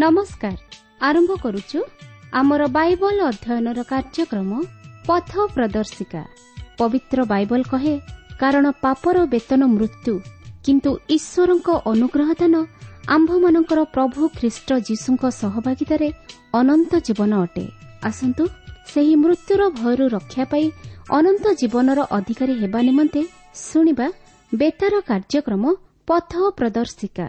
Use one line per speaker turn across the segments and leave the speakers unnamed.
ନମସ୍କାର। ଆରମ୍ଭ କରୁଛୁ ଆମର ବାଇବଲ ଅଧ୍ୟୟନର କାର୍ଯ୍ୟକ୍ରମ ପଥ ପ୍ରଦର୍ଶିକା। ପବିତ୍ର ବାଇବଲ କହେ, କାରଣ ପାପର ବେତନ ମୃତ୍ୟୁ, କିନ୍ତୁ ଈଶ୍ୱରଙ୍କ ଅନୁଗ୍ରହ ଦାନ ଆମ୍ଭମାନଙ୍କର ପ୍ରଭୁ ଖ୍ରୀଷ୍ଟ ଯୀଶୁଙ୍କ ସହଭାଗିତାରେ ଅନନ୍ତ ଜୀବନ ଅଟେ। ଆସନ୍ତୁ ସେହି ମୃତ୍ୟୁର ଭୟରୁ ରକ୍ଷା ପାଇ ଅନନ୍ତ ଜୀବନର ଅଧିକାରୀ ହେବା ନିମନ୍ତେ ଶୁଣିବା ବେତାର କାର୍ଯ୍ୟକ୍ରମ ପଥ ପ୍ରଦର୍ଶିକା।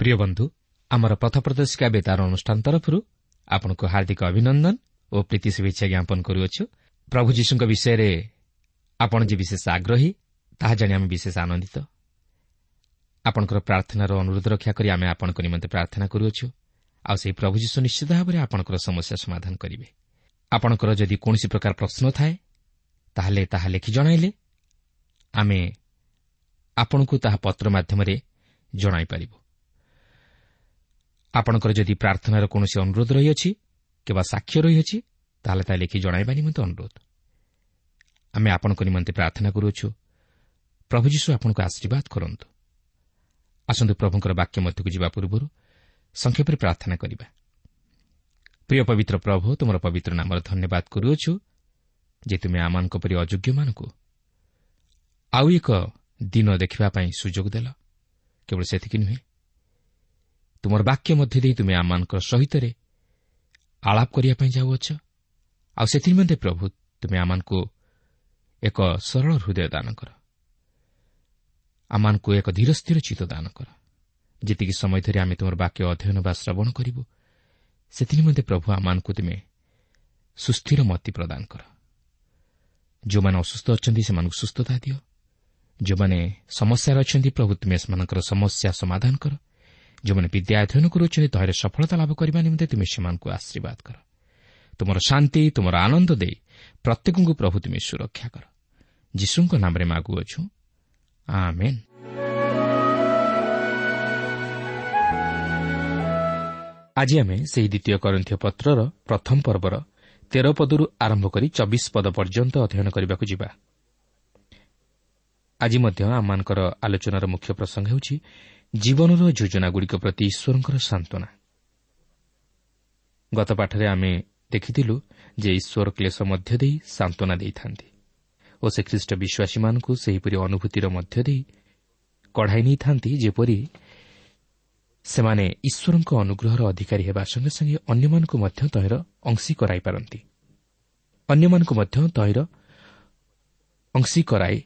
ପ୍ରିୟ ବନ୍ଧୁ, ଆମର ପଥ ପ୍ରଦର୍ଶିକା ବେତାର ଅନୁଷ୍ଠାନ ତରଫରୁ ଆପଣଙ୍କୁ ହାର୍ଦ୍ଦିକ ଅଭିନନ୍ଦନ ଓ ପ୍ରୀତି ଶୁଭେଚ୍ଛା ଜ୍ଞାପନ କରୁଅଛୁ। ପ୍ରଭୁ ଯୀଶୁଙ୍କ ବିଷୟରେ ଆପଣ ଯେ ବିଶେଷ ଆଗ୍ରହୀ ତାହା ଜାଣି ଆମେ ବିଶେଷ ଆନନ୍ଦିତ। ଆପଣଙ୍କର ପ୍ରାର୍ଥନାର ଅନୁରୋଧ ରକ୍ଷା କରି ଆମେ ଆପଣଙ୍କ ନିମନ୍ତେ ପ୍ରାର୍ଥନା କରୁଅଛୁ, ଆଉ ସେହି ପ୍ରଭୁ ଯୀଶୁ ନିଶ୍ଚିତ ଭାବରେ ଆପଣଙ୍କର ସମସ୍ୟା ସମାଧାନ କରିବେ। ଆପଣଙ୍କର ଯଦି କୌଣସି ପ୍ରକାର ପ୍ରଶ୍ନ ଥାଏ ତାହେଲେ ତାହା ଲେଖି ଜଣାଇଲେ ଆମେ ଆପଣଙ୍କୁ ତାହା ପତ୍ର ମାଧ୍ୟମରେ ଜଣାଇପାରିବୁ। ଆପଣଙ୍କର ଯଦି ପ୍ରାର୍ଥନାର କୌଣସି ଅନୁରୋଧ ରହିଅଛି କିମ୍ବା ସାକ୍ଷ୍ୟ ରହିଅଛି ତାହେଲେ ତାହା ଲେଖି ଜଣାଇବା ନିମନ୍ତେ ଅନୁରୋଧ। ଆମେ ଆପଣଙ୍କ ନିମନ୍ତେ ପ୍ରାର୍ଥନା କରୁଅଛୁ। ପ୍ରଭୁ ଯୀଶୁ ଆପଣଙ୍କୁ ଆଶୀର୍ବାଦ କରନ୍ତୁ। ଆସନ୍ତୁ ପ୍ରଭୁଙ୍କର ବାକ୍ୟ ମଧ୍ୟକୁ ଯିବା ପୂର୍ବରୁ ସଂକ୍ଷେପରେ ପ୍ରାର୍ଥନା କରିବା। ପ୍ରିୟ ପବିତ୍ର ପ୍ରଭୁ, ତୁମର ପବିତ୍ର ନାମର ଧନ୍ୟବାଦ କରୁଅଛୁ ଯେ ତୁମେ ଆମମାନଙ୍କ ପରି ଅଯୋଗ୍ୟମାନଙ୍କୁ ଆଉ ଏକ ଦିନ ଦେଖିବା ପାଇଁ ସୁଯୋଗ ଦେଲ। କେବଳ ସେତିକି ନୁହେଁ, ତୁମର ବାକ୍ୟ ମଧ୍ୟ ଦେଇ ତୁମେ ଆମମାନଙ୍କର ସହିତରେ ଆଳାପ କରିବା ପାଇଁ ଯାଉଅଛ। ଆଉ ସେଥିନିମନ୍ତେ ପ୍ରଭୁ ତୁମେ ଆମମାନଙ୍କୁ ଏକ ସରଳ ହୃଦୟ ଦାନ କର, ଆମମାନଙ୍କୁ ଏକ ଧୀର ସ୍ଥିର ଚିତ୍ତ ଦାନ କର। ଯେତିକି ସମୟ ଧରି ଆମେ ତୁମର ବାକ୍ୟ ଅଧ୍ୟୟନ ବା ଶ୍ରବଣ କରିବୁ ସେଥିନିମନ୍ତେ ପ୍ରଭୁ ଆମମାନଙ୍କୁ ତୁମେ ସୁସ୍ଥିର ମତି ପ୍ରଦାନ କର। ଯେଉଁମାନେ ଅସୁସ୍ଥ ଅଛନ୍ତି ସେମାନଙ୍କୁ ସୁସ୍ଥତା ଦିଅ। ଯେଉଁମାନେ ସମସ୍ୟାରେ ଅଛନ୍ତି ପ୍ରଭୁ ତୁମେ ସେମାନଙ୍କର ସମସ୍ୟା ସମାଧାନ କର। ଯେଉଁମାନେ ବିଦ୍ୟା ଅଧ୍ୟୟନ କରୁଅଛନ୍ତି ତହିଁରେ ସଫଳତା ଲାଭ କରିବା ନିମନ୍ତେ ତୁମେ ସେମାନଙ୍କୁ ଆଶୀର୍ବାଦ କର। ତୁମର ଶାନ୍ତି, ତୁମର ଆନନ୍ଦ ଦେଇ ପ୍ରତ୍ୟେକଙ୍କୁ ପ୍ରଭୁ ତୁମେ ସୁରକ୍ଷା କର। ଯୀଶୁଙ୍କ ନାମରେ ମାଗୁଅଛୁ, ଆମେନ୍। ଆଜି ଆମେ ସେହି ଦ୍ୱିତୀୟ କରିନ୍ଥୀୟ ପତ୍ରର ପ୍ରଥମ ପର୍ବର 13 ପଦରୁ ଆରମ୍ଭ କରି 24 ପଦ ପର୍ଯ୍ୟନ୍ତ ଅଧ୍ୟୟନ କରିବାକୁ ଯିବା। ଆଜି ମଧ୍ୟ ଆମମାନଙ୍କର ଆଲୋଚନାର ମୁଖ୍ୟ ପ୍ରସଙ୍ଗ ହେଉଛି ଜୀବନର ଯୋଜନାଗୁଡ଼ିକ ପ୍ରତି ଈଶ୍ୱରଙ୍କର ସାନ୍ତ୍ୱନା। ଗତ ପାଠରେ ଆମେ ଦେଖିଥିଲୁ ଯେ ଈଶ୍ୱର କ୍ଲେଶ ମଧ୍ୟ ଦେଇ ସାନ୍ତ୍ୱନା ଦେଇଥାନ୍ତି ଓ ସେ ଖ୍ରୀଷ୍ଟ ବିଶ୍ୱାସୀମାନଙ୍କୁ ସେହିପରି ଅନୁଭୂତିର ମଧ୍ୟ ଦେଇ କଢ଼ାଇ ନେଇଥାନ୍ତି, ଯେପରି ସେମାନେ ଈଶ୍ୱରଙ୍କ ଅନୁଗ୍ରହର ଅଧିକାରୀ ହେବା ସଙ୍ଗେ ସଙ୍ଗେ ଅନ୍ୟମାନଙ୍କୁ ମଧ୍ୟ ତହିଁର ଅଂଶୀ କରାଇପାରନ୍ତି। ଅନ୍ୟମାନଙ୍କୁ ମଧ୍ୟ ତହିଁର ଅଂଶୀ କରାଇ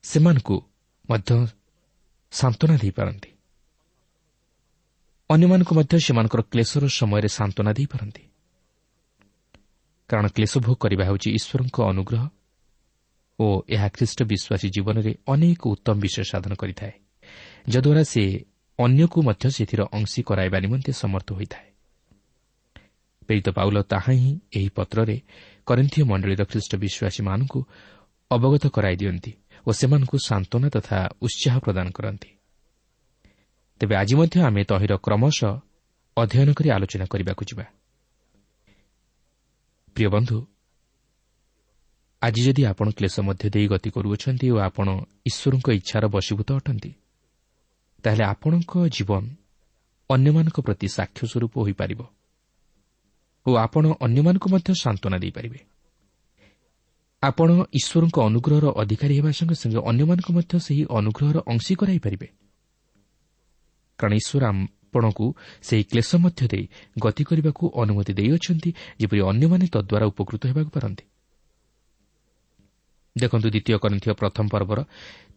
ସେମାନଙ୍କୁ ମଧ୍ୟ ସାନ୍ତ୍ୱନା ଦେଇପାରନ୍ତି। ଅନ୍ୟମାନଙ୍କୁ ମଧ୍ୟ ସେମାନଙ୍କର କ୍ଲେଶର ସମୟରେ ସାନ୍ତ୍ୱନା ଦେଇପାରନ୍ତି। କାରଣ କ୍ଲେଶ ଭୋଗ କରିବା ହେଉଛି ଈଶ୍ୱରଙ୍କ ଅନୁଗ୍ରହ ଓ ଏହା ଖ୍ରୀଷ୍ଟ ବିଶ୍ୱାସୀ ଜୀବନରେ ଅନେକ ଉତ୍ତମ ବିଷୟ ସାଧନ କରିଥାଏ, ଯଦ୍ୱାରା ସେ ଅନ୍ୟକୁ ମଧ୍ୟ ସେଥିର ଅଂଶୀ କରାଇବା ନିମନ୍ତେ ସମର୍ଥ ହୋଇଥାଏ। ପ୍ରେରିତ ପାଉଲ ତାହା ହିଁ ଏହି ପତ୍ରରେ କରିନ୍ଥୀୟ ମଣ୍ଡଳୀର ଖ୍ରୀଷ୍ଟ ବିଶ୍ୱାସୀମାନଙ୍କୁ ଅବଗତ କରାଇ ଦିଅନ୍ତି ଓ ସେମାନଙ୍କୁ ସାନ୍ତ୍ୱନା ତଥା ଉତ୍ସାହ ପ୍ରଦାନ କରନ୍ତି। ତେବେ ଆଜି ମଧ୍ୟ ଆମେ ତହିଁର କ୍ରମଶଃ ଅଧ୍ୟୟନ କରି ଆଲୋଚନା କରିବାକୁ ଯିବା। ପ୍ରିୟ ବନ୍ଧୁ, ଆଜି ଯଦି ଆପଣ କ୍ଲେଶ ମଧ୍ୟ ଦେଇ ଗତି କରୁଅଛନ୍ତି ଓ ଆପଣ ଈଶ୍ୱରଙ୍କ ଇଚ୍ଛାର ବଶୀଭୂତ ଅଟନ୍ତି, ତାହେଲେ ଆପଣଙ୍କ ଜୀବନ ଅନ୍ୟମାନଙ୍କ ପ୍ରତି ସାକ୍ଷ୍ୟ ସ୍ୱରୂପ ହୋଇପାରିବ ଓ ଆପଣ ଅନ୍ୟମାନଙ୍କୁ ମଧ୍ୟ ସାନ୍ତ୍ୱନା ଦେଇପାରିବେ। ଆପଣ ଈଶ୍ୱରଙ୍କ ଅନୁଗ୍ରହର ଅଧିକାରୀ ହେବା ସଙ୍ଗେ ସଙ୍ଗେ ଅନ୍ୟମାନଙ୍କୁ ମଧ୍ୟ ସେହି ଅନୁଗ୍ରହର ଅଂଶୀ କରାଇପାରିବେ। କାରଣ ଈଶ୍ୱର ଆପଣଙ୍କୁ ସେହି କ୍ଲେଶ ମଧ୍ୟ ଦେଇ ଗତି କରିବାକୁ ଅନୁମତି ଦେଇଅଛନ୍ତି, ଯେପରି ଅନ୍ୟମାନେ ତଦ୍ୱାରା ଉପକୃତ ହେବାକୁ ପାରନ୍ତି। ଦେଖନ୍ତୁ, ଦ୍ୱିତୀୟ କରିନ୍ଥୀୟ ପ୍ରଥମ ପର୍ବର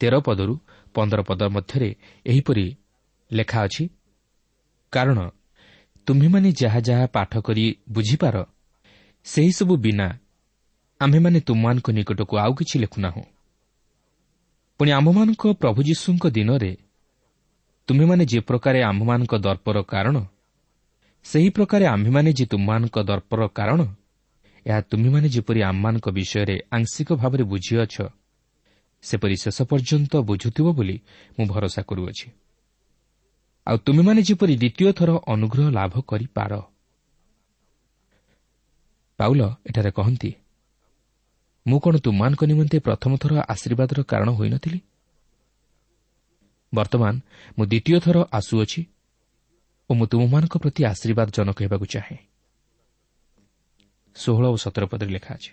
13 ପଦରୁ 15 ପଦ ମଧ୍ୟରେ ଏହିପରି ଲେଖା ଅଛି, କାରଣ ତୁମ୍ଭେମାନେ ଯାହା ଯାହା ପାଠ କରି ବୁଝିପାର, ସେହିସବୁ ବିନା ଆମ୍ଭେମାନେ ତୁମମାନଙ୍କ ନିକଟକୁ ଆଉ କିଛି ଲେଖୁନାହୁଁ। ପୁଣି ଆମ୍ଭମାନଙ୍କ ପ୍ରଭୁ ଯୀଶୁଙ୍କ ଦିନରେ ତୁମ୍ଭେମାନେ ଯେ ପ୍ରକାରେ ଆମ୍ଭମାନଙ୍କ ଦର୍ପର କାରଣ, ସେହି ପ୍ରକାରେ ଆମ୍ଭେମାନେ ଯେ ତୁମମାନଙ୍କ ଦର୍ପର କାରଣ, ଏହା ତୁମ୍ଭେମାନେ ଯେପରି ଆମ୍ଭମାନଙ୍କ ବିଷୟରେ ଆଂଶିକ ଭାବରେ ବୁଝିଅଛ, ସେପରି ଶେଷ ପର୍ଯ୍ୟନ୍ତ ବୁଝୁଥିବ ବୋଲି ମୁଁ ଭରସା କରୁଅଛି। ଆଉ ତୁମେମାନେ ଯେପରି ଦ୍ୱିତୀୟ ଥର ଅନୁଗ୍ରହ ଲାଭ କରିପାର। ପାଉଲ ଏଠାରେ କହନ୍ତି, ମୁଁ କ'ଣ ତୁମମାନଙ୍କ ନିମନ୍ତେ ପ୍ରଥମ ଥର ଆଶୀର୍ବାଦର କାରଣ ହୋଇନଥିଲି? ବର୍ତ୍ତମାନ ମୁଁ ଦ୍ୱିତୀୟ ଥର ଆସୁଅଛି ଓ ମୁଁ ତୁମମାନଙ୍କ ପ୍ରତି ଆଶୀର୍ବାଦଜନକ ହେବାକୁ ଚାହେଁ। 16 ଓ 17 ପଦରେ ଲେଖା ଅଛି,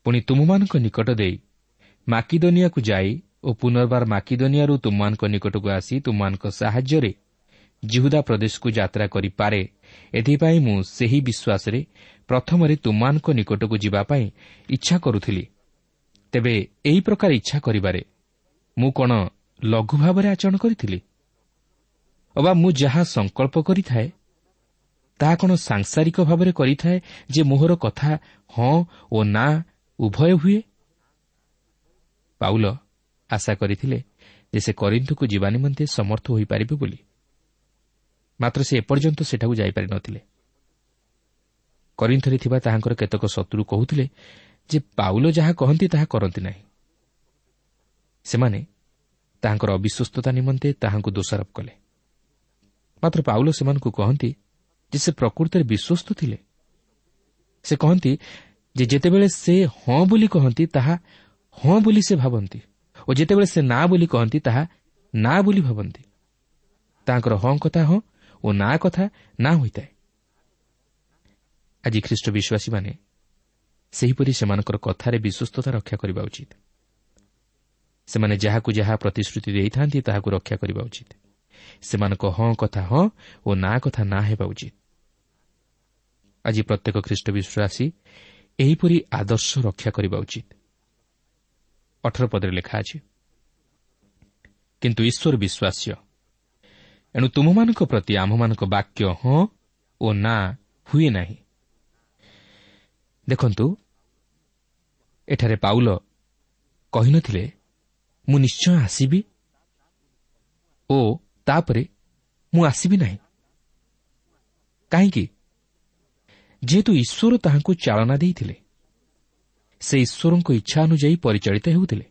ପୁଣି ତୁମମାନଙ୍କ ନିକଟ ଦେଇ ମାକିଦନିଆକୁ ଯାଇ ଓ ପୁନର୍ବାର ମାକିଦନିଆରୁ ତୁମମାନଙ୍କ ନିକଟକୁ ଆସି ତୁମମାନଙ୍କ ସାହାଯ୍ୟରେ ଯିହୁଦା ପ୍ରଦେଶକୁ ଯାତ୍ରା କରିପାରେ, ଏଥିପାଇଁ ମୁଁ ସେହି ବିଶ୍ୱାସରେ ପ୍ରଥମରେ ତୁମମାନଙ୍କ ନିକଟକୁ ଯିବା ପାଇଁ ଇଚ୍ଛା କରୁଥିଲି। ତେବେ ଏହି ପ୍ରକାର ଇଚ୍ଛା କରିବାରେ ମୁଁ କ'ଣ ଲଘୁ ଭାବରେ ଆଚରଣ କରିଥିଲି? ଅବା ମୁଁ ଯାହା ସଂକଳ୍ପ କରିଥାଏ ତାହା କ'ଣ ସାଂସାରିକ ଭାବରେ କରିଥାଏ ଯେ ମୋହର କଥା ହଁ ଓ ନା ଉଭୟ ହୁଏ? ପାଉଲ ଆଶା କରିଥିଲେ ଯେ ସେ କରିନ୍ଥକୁ ଯିବା ନିମନ୍ତେ ସମର୍ଥ ହୋଇପାରିବେ ବୋଲି, ମାତ୍ର ସେ ଏପର୍ଯ୍ୟନ୍ତ ସେଠାକୁ ଯାଇପାରିନଥିଲେ। କରିନ୍ଥରେ ଥିବା ତାହାଙ୍କର କେତେକ ଶତ୍ରୁ କହୁଥିଲେ ଯେ ପାଉଲ ଯାହା କହନ୍ତି ତାହା କରନ୍ତି ନାହିଁ। ସେମାନେ ତାହାଙ୍କର ଅବିଶ୍ୱସ୍ତତା ନିମନ୍ତେ ତାହାଙ୍କୁ ଦୋଷାରୋପ କଲେ। ମାତ୍ର ପାଉଲ ସେମାନଙ୍କୁ କହନ୍ତି ଯେ ସେ ପ୍ରକୃତରେ ବିଶ୍ୱସ୍ତ ଥିଲେ। ସେ କହନ୍ତି ଯେ ଯେତେବେଳେ ସେ ହଁ ବୋଲି କହନ୍ତି ତାହା ହଁ ବୋଲି ସେ ଭାବନ୍ତି ଓ ଯେତେବେଳେ ସେ ନା ବୋଲି କହନ୍ତି ତାହା ନା ବୋଲି ଭାବନ୍ତି। ତାଙ୍କର ହଁ କଥା ହଁ ଓ ନା କଥା ନା ହୋଇଥାଏ। ଆଜି ଖ୍ରୀଷ୍ଟ ବିଶ୍ୱାସୀମାନେ ସେହିପରି ସେମାନଙ୍କର କଥାରେ ବିଶ୍ୱସ୍ତତା ରକ୍ଷା କରିବା ଉଚିତ। ସେମାନେ ଯାହାକୁ ଯାହା ପ୍ରତିଶ୍ରୁତି ଦେଇଥାନ୍ତି ତାହାକୁ ରକ୍ଷା କରିବା ଉଚିତ। ସେମାନଙ୍କ ହଁ କଥା ହଁ ଓ ନା କଥା ନା ହେବା ଉଚିତ। ଆଜି ପ୍ରତ୍ୟେକ ଖ୍ରୀଷ୍ଟ ବିଶ୍ୱାସୀ ଏହିପରି ଆଦର୍ଶ ରକ୍ଷା କରିବା ଉଚିତ। 18 ପଦରେ ଲେଖା ଅଛି, କିନ୍ତୁ ଈଶ୍ୱର ବିଶ୍ୱାସ୍ୟ, ଏଣୁ ତୁମମାନଙ୍କ ପ୍ରତି ଆମ୍ଭମାନଙ୍କ ବାକ୍ୟ ହଁ ଓ ନା ହୁଏ ନାହିଁ। ଦେଖନ୍ତୁ, ଏଠାରେ ପାଉଲ କହିନଥିଲେ ମୁଁ ନିଶ୍ଚୟ ଆସିବି ଓ ତାପରେ ମୁଁ ଆସିବି ନାହିଁ। କାହିଁକି? ଯେହେତୁ ଈଶ୍ୱର ତାହାଙ୍କୁ ଚାଳନା ଦେଇଥିଲେ, ସେ ଈଶ୍ୱରଙ୍କ ଇଚ୍ଛା ଅନୁଯାୟୀ ପରିଚାଳିତ ହେଉଥିଲେ।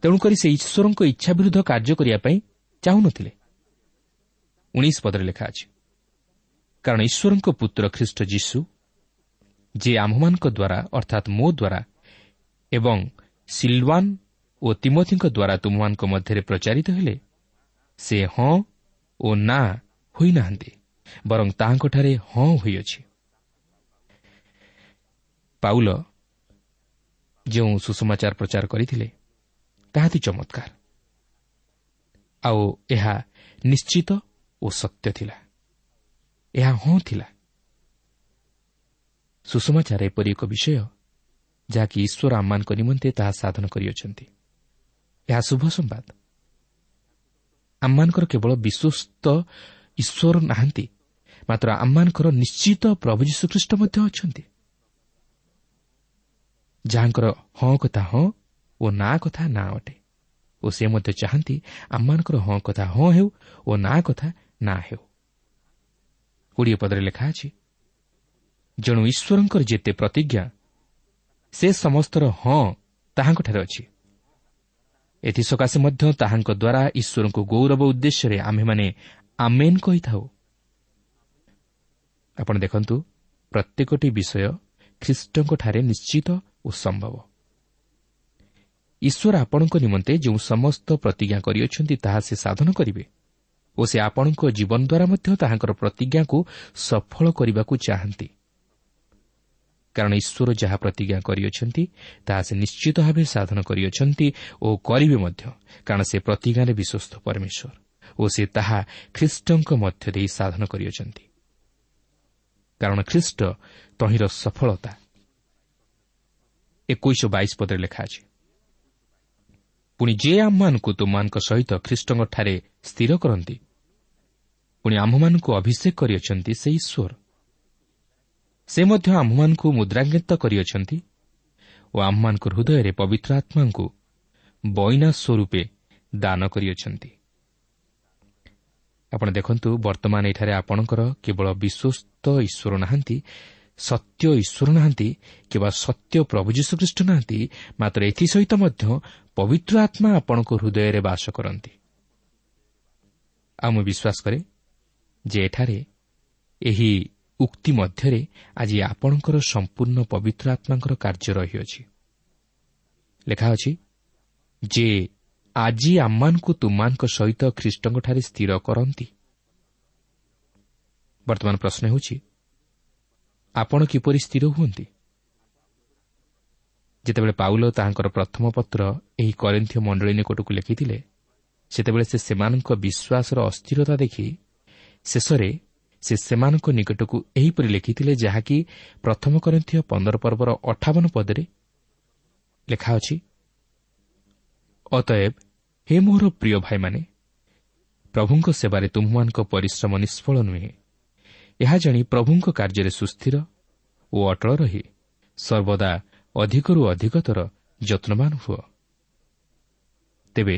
ତେଣୁକରି ସେ ଈଶ୍ୱରଙ୍କ ଇଚ୍ଛା ବିରୁଦ୍ଧ କାର୍ଯ୍ୟ କରିବା ପାଇଁ ଚାହୁଁନଥିଲେ। 19 ପଦରେ ଲେଖା ଅଛି, କାରଣ ଈଶ୍ୱରଙ୍କ ପୁତ୍ର ଖ୍ରୀଷ୍ଟ ଯୀଶୁ, ଯିଏ ଆମ୍ଭମାନଙ୍କ ଦ୍ୱାରା ଅର୍ଥାତ୍ ମୋ ଦ୍ୱାରା ଏବଂ ସିଲୱାନ ଓ ତିମୋଥିଙ୍କ ଦ୍ୱାରା ତୁମମାନଙ୍କ ମଧ୍ୟରେ ପ୍ରଚାରିତ ହେଲେ, ସେ ହଁ ଓ ନା ହୋଇନାହାନ୍ତି, ବରଂ ତାହାଙ୍କଠାରେ ହଁ ହୋଇଅଛି। ପାଉଲ ଯେଉଁ ସୁସମାଚାର ପ୍ରଚାର କରିଥିଲେ ତାହା ଅତି ଚମତ୍କାର, ଆଉ ଏହା ନିଶ୍ଚିତ ଓ ସତ୍ୟ ଥିଲା, ଏହା ହଁ ଥିଲା। ସୁସମାଚାର ଏପରି ଏକ ବିଷୟ ଯାହାକି ଈଶ୍ୱର ଆମମାନଙ୍କ ନିମନ୍ତେ ତାହା ସାଧନ କରିଅଛନ୍ତି। ଏହା ଶୁଭ ସମ୍ବାଦ। ଆମମାନଙ୍କର କେବଳ ବିଶ୍ୱସ୍ତ ଈଶ୍ୱର ନାହାନ୍ତି, ମାତ୍ର ଆମମାନଙ୍କର ନିଶ୍ଚିତ ପ୍ରଭୁ ଯୀଶୁଖ୍ରୀଷ୍ଟ ମଧ୍ୟ ଅଛନ୍ତି, ଯାହାଙ୍କର ହଁ କଥା ହଁ ଓ ନା କଥା ନା ଅଟେ। ଓ ସେ ମଧ୍ୟ ଚାହାନ୍ତି ଆମମାନଙ୍କର ହଁ କଥା ହଁ ହେଉ ଓ ନା କଥା ନା ହେଉ। 20 ପଦରେ ଲେଖା ଅଛି, ଯେଣୁ ଈଶ୍ୱରଙ୍କର ଯେତେ ପ୍ରତିଜ୍ଞା ସେ ସମସ୍ତର ହଁ ତାହାଙ୍କଠାରେ ଅଛି। ଏଥିସକାଶେ ମଧ୍ୟ ତାହାଙ୍କ ଦ୍ୱାରା ଈଶ୍ୱରଙ୍କୁ ଗୌରବ ଉଦ୍ଦେଶ୍ୟରେ ଆମ୍ଭେମାନେ ଆମେନ୍ କହିଥାଉ। ଆପଣ ଦେଖନ୍ତୁ, ପ୍ରତ୍ୟେକଟି ବିଷୟ ଖ୍ରୀଷ୍ଟଙ୍କଠାରେ ନିଶ୍ଚିତ ଓ ସମ୍ଭବ। ଈଶ୍ୱର ଆପଣଙ୍କ ନିମନ୍ତେ ଯେଉଁ ସମସ୍ତ ପ୍ରତିଜ୍ଞା କରିଅଛନ୍ତି ତାହା ସେ ସାଧନ କରିବେ ଓ ସେ ଆପଣଙ୍କ ଜୀବନ ଦ୍ୱାରା ମଧ୍ୟ ତାହାଙ୍କର ପ୍ରତିଜ୍ଞାକୁ ସଫଳ କରିବାକୁ ଚାହାନ୍ତି। କାରଣ ଈଶ୍ୱର ଯାହା ପ୍ରତିଜ୍ଞା କରିଅଛନ୍ତି ତାହା ସେ ନିଶ୍ଚିତ ଭାବେ ସାଧନ କରିଅଛନ୍ତି ଓ କରିବେ ମଧ୍ୟ, କାରଣ ସେ ପ୍ରତିଜ୍ଞାରେ ବିଶ୍ୱସ୍ତ ପରମେଶ୍ୱର ଓ ସେ ତାହା ଖ୍ରୀଷ୍ଟଙ୍କ ମଧ୍ୟ ଦେଇ ସାଧନ କରିଅଛନ୍ତି। କାରଣ ଖ୍ରୀଷ୍ଟ ତହିଁର ସଫଳତା। 21-22 ପଦରେ ଲେଖା ଅଛି, ପୁଣି ଯେ ଆମମାନଙ୍କୁ ତୁମମାନଙ୍କ ସହିତ ଖ୍ରୀଷ୍ଟଙ୍କଠାରେ ସ୍ଥିର କରନ୍ତି, ପୁଣି ଆମ୍ଭମାନଙ୍କୁ ଅଭିଷେକ କରିଅଛନ୍ତି ସେ ଈଶ୍ୱର, ସେ ମଧ୍ୟ ଆମ୍ଭମାନଙ୍କୁ ମୁଦ୍ରାଙ୍କିତ କରିଅଛନ୍ତି ଓ ଆମ୍ଭମାନଙ୍କ ହୃଦୟରେ ପବିତ୍ର ଆତ୍ମାଙ୍କୁ ବଇନା ସ୍ୱରୂପେ ଦାନ କରିଅଛନ୍ତି। ଆପଣ ଦେଖନ୍ତୁ, ବର୍ତ୍ତମାନ ଏଠାରେ ଆପଣଙ୍କର କେବଳ ବିଶ୍ୱସ୍ତ ଈଶ୍ୱର ନାହାନ୍ତି, ସତ୍ୟ ଈଶ୍ୱର ନାହାନ୍ତି କିମ୍ବା ସତ୍ୟ ପ୍ରଭୁ ଯୀଶୁଖ୍ରୀଷ୍ଟ ନାହାନ୍ତି, ମାତ୍ର ଏଥିସହିତ ମଧ୍ୟ ପବିତ୍ର ଆତ୍ମା ଆପଣଙ୍କ ହୃଦୟରେ ବାସ କରନ୍ତି। ଆଉ ମୁଁ ବିଶ୍ୱାସ କରେ ଯେ ଏଠାରେ ଏହି ଉକ୍ତି ମଧ୍ୟରେ ଆଜି ଆପଣଙ୍କର ସମ୍ପୂର୍ଣ୍ଣ ପବିତ୍ର ଆତ୍ମାଙ୍କର କାର୍ଯ୍ୟ ରହିଅଛି। ଲେଖା ଅଛି ଯେ ଆଜି ଆମମାନଙ୍କୁ ତୁମମାନଙ୍କ ସହିତ ଖ୍ରୀଷ୍ଟଙ୍କଠାରେ ସ୍ଥିର କରନ୍ତି। ବର୍ତ୍ତମାନ ପ୍ରଶ୍ନ ହେଉଛି, ଆପଣ କିପରି ସ୍ଥିର ହୁଅନ୍ତି? ଯେତେବେଳେ ପାଉଲ ତାହାଙ୍କର ପ୍ରଥମ ପତ୍ର ଏହି କରିନ୍ଥୀୟ ମଣ୍ଡଳୀ ନିକଟକୁ ଲେଖିଥିଲେ, ସେତେବେଳେ ସେ ସେମାନଙ୍କ ବିଶ୍ୱାସର ଅସ୍ଥିରତା ଦେଖି ଶେଷରେ ସେ ସେମାନଙ୍କ ନିକଟକୁ ଏହିପରି ଲେଖିଥିଲେ, ଯାହାକି ପ୍ରଥମ କରିନ୍ଥୀୟ 15 ପର୍ବର 58 ପଦରେ ଲେଖା ଅଛି, ଅତଏବ ହେ ମୋର ପ୍ରିୟ ଭାଇମାନେ, ପ୍ରଭୁଙ୍କ ସେବାରେ ତୁମ୍ଭମାନଙ୍କ ପରିଶ୍ରମ ନିଷ୍ଫଳ ନୁହେଁ। ଏହା ଜାଣି ପ୍ରଭୁଙ୍କ କାର୍ଯ୍ୟରେ ସୁସ୍ଥିର ଓ ଅଟଳ ରହି ସର୍ବଦା ଅଧିକରୁ ଅଧିକତର ଯତ୍ନବାନ ହୁଅ। ତେବେ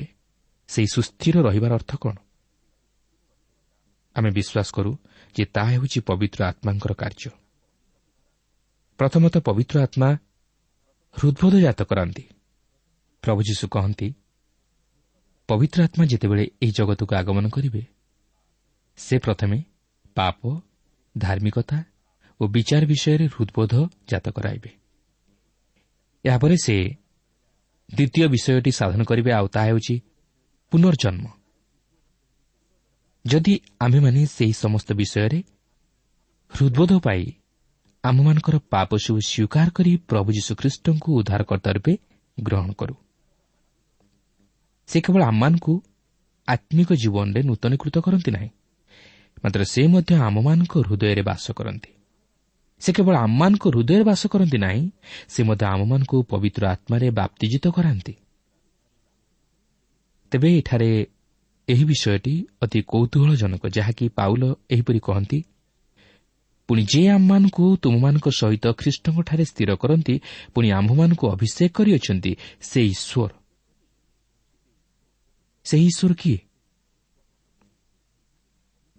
ସେହି ସୁସ୍ଥିର ରହିବାର ଅର୍ଥ କ'ଣ? ଆମେ ବିଶ୍ୱାସ କରୁ ଯେ ତାହା ହେଉଛି ପବିତ୍ର ଆତ୍ମାଙ୍କର କାର୍ଯ୍ୟ। ପ୍ରଥମତଃ ପବିତ୍ର ଆତ୍ମା ହୃଦ୍ବୋଧ ଜାତ କରାନ୍ତି। ପ୍ରଭୁ ଯୀଶୁ କହନ୍ତି, ପବିତ୍ର ଆତ୍ମା ଯେତେବେଳେ ଏହି ଜଗତକୁ ଆଗମନ କରିବେ, ସେ ପ୍ରଥମେ ପାପ, ଧାର୍ମିକତା ଓ ବିଚାର ବିଷୟରେ ହୃଦ୍ବୋଧ ଜାତ କରାଇବେ। ଏହାପରେ ସେ ଦ୍ୱିତୀୟ ବିଷୟଟି ସାଧନ କରିବେ, ଆଉ ତାହା ହେଉଛି ପୁନର୍ଜନ୍ମ। ଯଦି ଆମ୍ଭେମାନେ ସେହି ସମସ୍ତ ବିଷୟରେ ହୃଦ୍ବୋଧ ପାଇ ଆମ୍ଭମାନଙ୍କର ପାପ ସବୁ ସ୍ୱୀକାର କରି ପ୍ରଭୁ ଯୀଶୁଖ୍ରୀଷ୍ଟଙ୍କୁ ଉଦ୍ଧାରକର୍ତ୍ତା ରୂପେ ଗ୍ରହଣ କରୁ, ସେ କେବଳ ଆମମାନଙ୍କୁ ଆତ୍ମିକ ଜୀବନରେ ନୂତନୀକୃତ କରନ୍ତି ନାହିଁ, ମାତ୍ର ସେ ମଧ୍ୟ ଆମମାନଙ୍କ ହୃଦୟରେ ବାସ କରନ୍ତି। ସେ କେବଳ ଆମମାନଙ୍କ ହୃଦୟରେ ବାସ କରନ୍ତି ନାହିଁ, ସେ ମଧ୍ୟ ଆମମାନଙ୍କୁ ପବିତ୍ର ଆତ୍ମାରେ ବାପ୍ତିଜିତ କରାନ୍ତି। ତେବେ ଏଠାରେ ଏହି ବିଷୟଟି ଅତି କୌତୂହଳଜନକ, ଯାହାକି ପାଉଲ ଏହିପରି କହନ୍ତି, ପୁଣି ଯେ ଆମମାନଙ୍କୁ ତୁମମାନଙ୍କ ସହିତ ଖ୍ରୀଷ୍ଟଙ୍କଠାରେ ସ୍ଥିର କରନ୍ତି, ପୁଣି ଆମ୍ଭମାନଙ୍କୁ ଅଭିଷେକ କରିଅଛନ୍ତି ସେ ଈଶ୍ୱର। ସେହି ଈଶ୍ୱର କିଏ?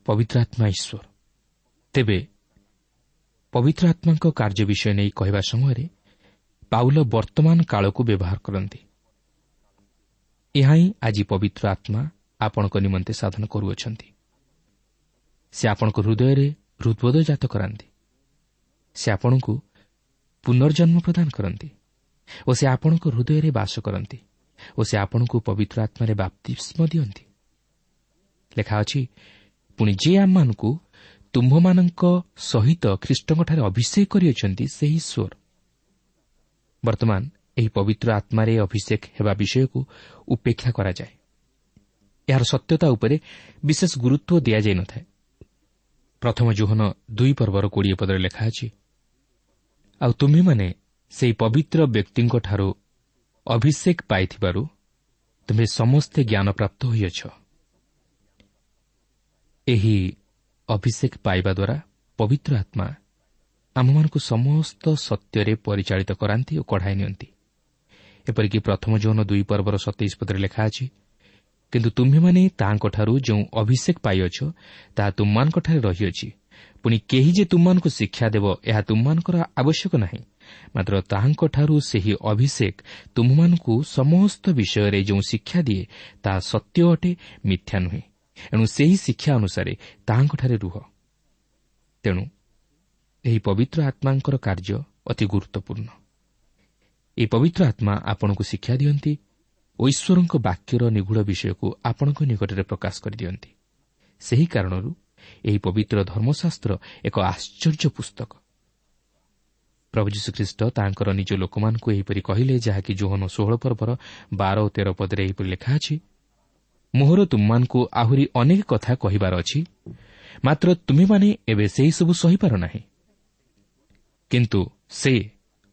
ପବିତ୍ର ଆତ୍ମା ଈଶ୍ୱର। ତେବେ ପବିତ୍ର ଆତ୍ମାଙ୍କ କାର୍ଯ୍ୟ ବିଷୟ ନେଇ କହିବା ସମୟରେ ପାଉଲ ବର୍ତ୍ତମାନ କାଳକୁ ବ୍ୟବହାର କରନ୍ତି। ଏହା ହିଁ ଆଜି ପବିତ୍ର ଆତ୍ମା ଆପଣଙ୍କ ନିମନ୍ତେ ସାଧନ କରୁଅଛନ୍ତି। ସେ ଆପଣଙ୍କ ହୃଦୟରେ ହୃଦ୍ବୋଧ ଜାତ କରାନ୍ତି, ସେ ଆପଣଙ୍କୁ ପୁନର୍ଜନ୍ମ ପ୍ରଦାନ କରନ୍ତି ଓ ସେ ଆପଣଙ୍କ ହୃଦୟରେ ବାସ କରନ୍ତି ଓ ସେ ଆପଣଙ୍କୁ ପବିତ୍ର ଆତ୍ମାରେ ବାପ୍ତିସ୍ମ ଦିଅନ୍ତି। ଲେଖା ଅଛି, ପୁଣି ଯେ ଆମମାନଙ୍କୁ ତୁମ୍ଭମାନଙ୍କ ସହିତ ଖ୍ରୀଷ୍ଟଙ୍କଠାରେ ଅଭିଷେକ କରିଅଛନ୍ତି ସେହି ଈଶ୍ୱର। ବର୍ତ୍ତମାନ ଏହି ପବିତ୍ର ଆତ୍ମାରେ ଅଭିଷେକ ହେବା ବିଷୟକୁ ଉପେକ୍ଷା କରାଯାଏ। ଏହାର ସତ୍ୟତା ଉପରେ ବିଶେଷ ଗୁରୁତ୍ୱ ଦିଆଯାଇନଥାଏ। ପ୍ରଥମ ଯୋହନ 2 ପର୍ବର 20 ପଦରେ ଲେଖା ଅଛି, ଆଉ ତୁମ୍ଭେମାନେ ସେହି ପବିତ୍ର ବ୍ୟକ୍ତିଙ୍କଠାରୁ ଅଭିଷେକ ପାଇଥିବାରୁ ତୁମ୍ଭେ ସମସ୍ତେ ଜ୍ଞାନପ୍ରାପ୍ତ ହୋଇଅଛ। ଏହି ଅଭିଷେକ ପାଇବା ଦ୍ୱାରା ପବିତ୍ର ଆତ୍ମା ଆମମାନଙ୍କୁ ସମସ୍ତ ସତ୍ୟରେ ପରିଚାଳିତ କରାନ୍ତି ଓ କଢ଼ାଇ ନିଅନ୍ତି। ଏପରିକି ପ୍ରଥମ ଯୋହନ 2 ପର୍ବର 27 ପଦରେ ଲେଖା ଅଛି, କିନ୍ତୁ ତୁମ୍ଭେମାନେ ତାହାଙ୍କଠାରୁ ଯେଉଁ ଅଭିଷେକ ପାଇଅଛ ତାହା ତୁମ୍ଭମାନଙ୍କଠାରେ ରହିଅଛି। ପୁଣି କେହି ଯେ ତୁମ୍ଭମାନଙ୍କୁ ଶିକ୍ଷା ଦେବ ଏହା ତୁମ୍ଭମାନଙ୍କର ଆବଶ୍ୟକ ନାହିଁ, ମାତ୍ର ତାହାଙ୍କଠାରୁ ସେହି ଅଭିଷେକ ତୁମ୍ଭମାନଙ୍କୁ ସମସ୍ତ ବିଷୟରେ ଯେଉଁ ଶିକ୍ଷା ଦିଏ ତାହା ସତ୍ୟ ଅଟେ, ମିଥ୍ୟା ନୁହେଁ। ଏଣୁ ସେହି ଶିକ୍ଷା ଅନୁସାରେ ତାହାଙ୍କଠାରେ ରୁହ। ତେଣୁ ଏହି ପବିତ୍ର ଆତ୍ମାଙ୍କର କାର୍ଯ୍ୟ ଅତି ଗୁରୁତ୍ୱପୂର୍ଣ୍ଣ। ଏହି ପବିତ୍ର ଆତ୍ମା ଆପଣଙ୍କୁ ଶିକ୍ଷା ଦିଅନ୍ତି ଓ ଈଶ୍ୱରଙ୍କ ବାକ୍ୟର ନିଗୂଢ଼ ବିଷୟକୁ ଆପଣଙ୍କ ନିକଟରେ ପ୍ରକାଶ କରିଦିଅନ୍ତି। ସେହି କାରଣରୁ ଏହି ପବିତ୍ର ଧର୍ମଶାସ୍ତ୍ର ଏକ ଆଶ୍ଚର୍ଯ୍ୟ ପୁସ୍ତକ। ପ୍ରଭୁ ଯୀଶୁଖ୍ରୀଷ୍ଟ ତାଙ୍କର ନିଜ ଲୋକମାନଙ୍କୁ ଏହିପରି କହିଲେ, ଯାହାକି ଯୋହନ 16 ପର୍ବର 12 ଓ 13 ପଦରେ ଏହିପରି ଲେଖା ଅଛି, ମୋହର ତୁମମାନଙ୍କୁ ଆହୁରି ଅନେକ କଥା କହିବାର ଅଛି, ମାତ୍ର ତୁମେମାନେ ଏବେ ସେହିସବୁ ସହିପାର ନାହିଁ। କିନ୍ତୁ ସେ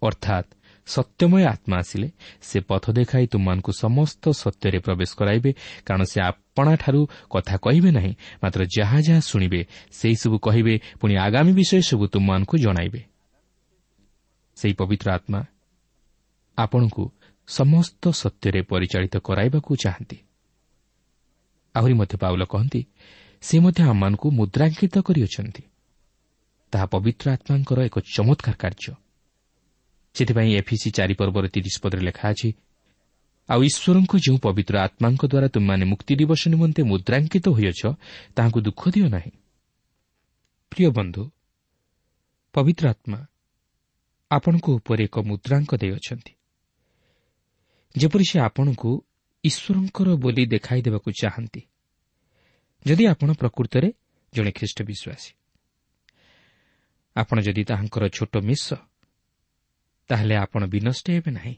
ଅର୍ଥାତ୍ ସତ୍ୟମୟ ଆତ୍ମା ଆସିଲେ ସେ ପଥ ଦେଖାଇ ତୁମମାନଙ୍କୁ ସମସ୍ତ ସତ୍ୟରେ ପ୍ରବେଶ କରାଇବେ, କାରଣ ସେ ଆପଣାଠାରୁ କଥା କହିବେ ନାହିଁ, ମାତ୍ର ଯାହା ଯାହା ଶୁଣିବେ ସେହିସବୁ କହିବେ, ପୁଣି ଆଗାମୀ ବିଷୟ ସବୁ ତୁମମାନଙ୍କୁ ଜଣାଇବେ। ସେହି ପବିତ୍ର ଆତ୍ମା ଆପଣଙ୍କୁ ସମସ୍ତ ସତ୍ୟରେ ପରିଚାଳିତ କରାଇବାକୁ ଚାହାନ୍ତି। ଆହୁରି ମଧ୍ୟ ପାଉଲ କହନ୍ତି, ସେ ମଧ୍ୟ ଆମମାନଙ୍କୁ ମୁଦ୍ରାଙ୍କିତ କରିଅଛନ୍ତି। ତାହା ପବିତ୍ର ଆତ୍ମାଙ୍କର ଏକ ଚମତ୍କାର କାର୍ଯ୍ୟ। ସେଥିପାଇଁ ଏଫିସି 4 ପର୍ବର 30 ପଦରେ ଲେଖା ଅଛି, ଆଉ ଈଶ୍ୱରଙ୍କ ଯେଉଁ ପବିତ୍ର ଆତ୍ମାଙ୍କ ଦ୍ୱାରା ତୁମେମାନେ ମୁକ୍ତି ଦିବସ ନିମନ୍ତେ ମୁଦ୍ରାଙ୍କିତ ହୋଇଅଛ, ତାହାଙ୍କୁ ଦୁଃଖ ଦିଅ ନାହିଁ। ପ୍ରିୟ ବନ୍ଧୁ, ପବିତ୍ର ଆତ୍ମା ଆପଣଙ୍କ ଉପରେ ଏକ ମୁଦ୍ରାଙ୍କ ଦେଇଅଛନ୍ତି, ଯେପରି ସେ ଆପଣଙ୍କୁ ଈଶ୍ୱରଙ୍କର ବୋଲି ଦେଖାଇ ଦେବାକୁ ଚାହାନ୍ତି। ଯଦି ଆପଣ ପ୍ରକୃତରେ ଜଣେ ଖ୍ରୀଷ୍ଟ ବିଶ୍ୱାସୀ, ଆପଣ ଯଦି ତାହାଙ୍କର ଛୋଟ ମିଶ, ତାହେଲେ ଆପଣ ବିନଷ୍ଟ ହେବେ ନାହିଁ।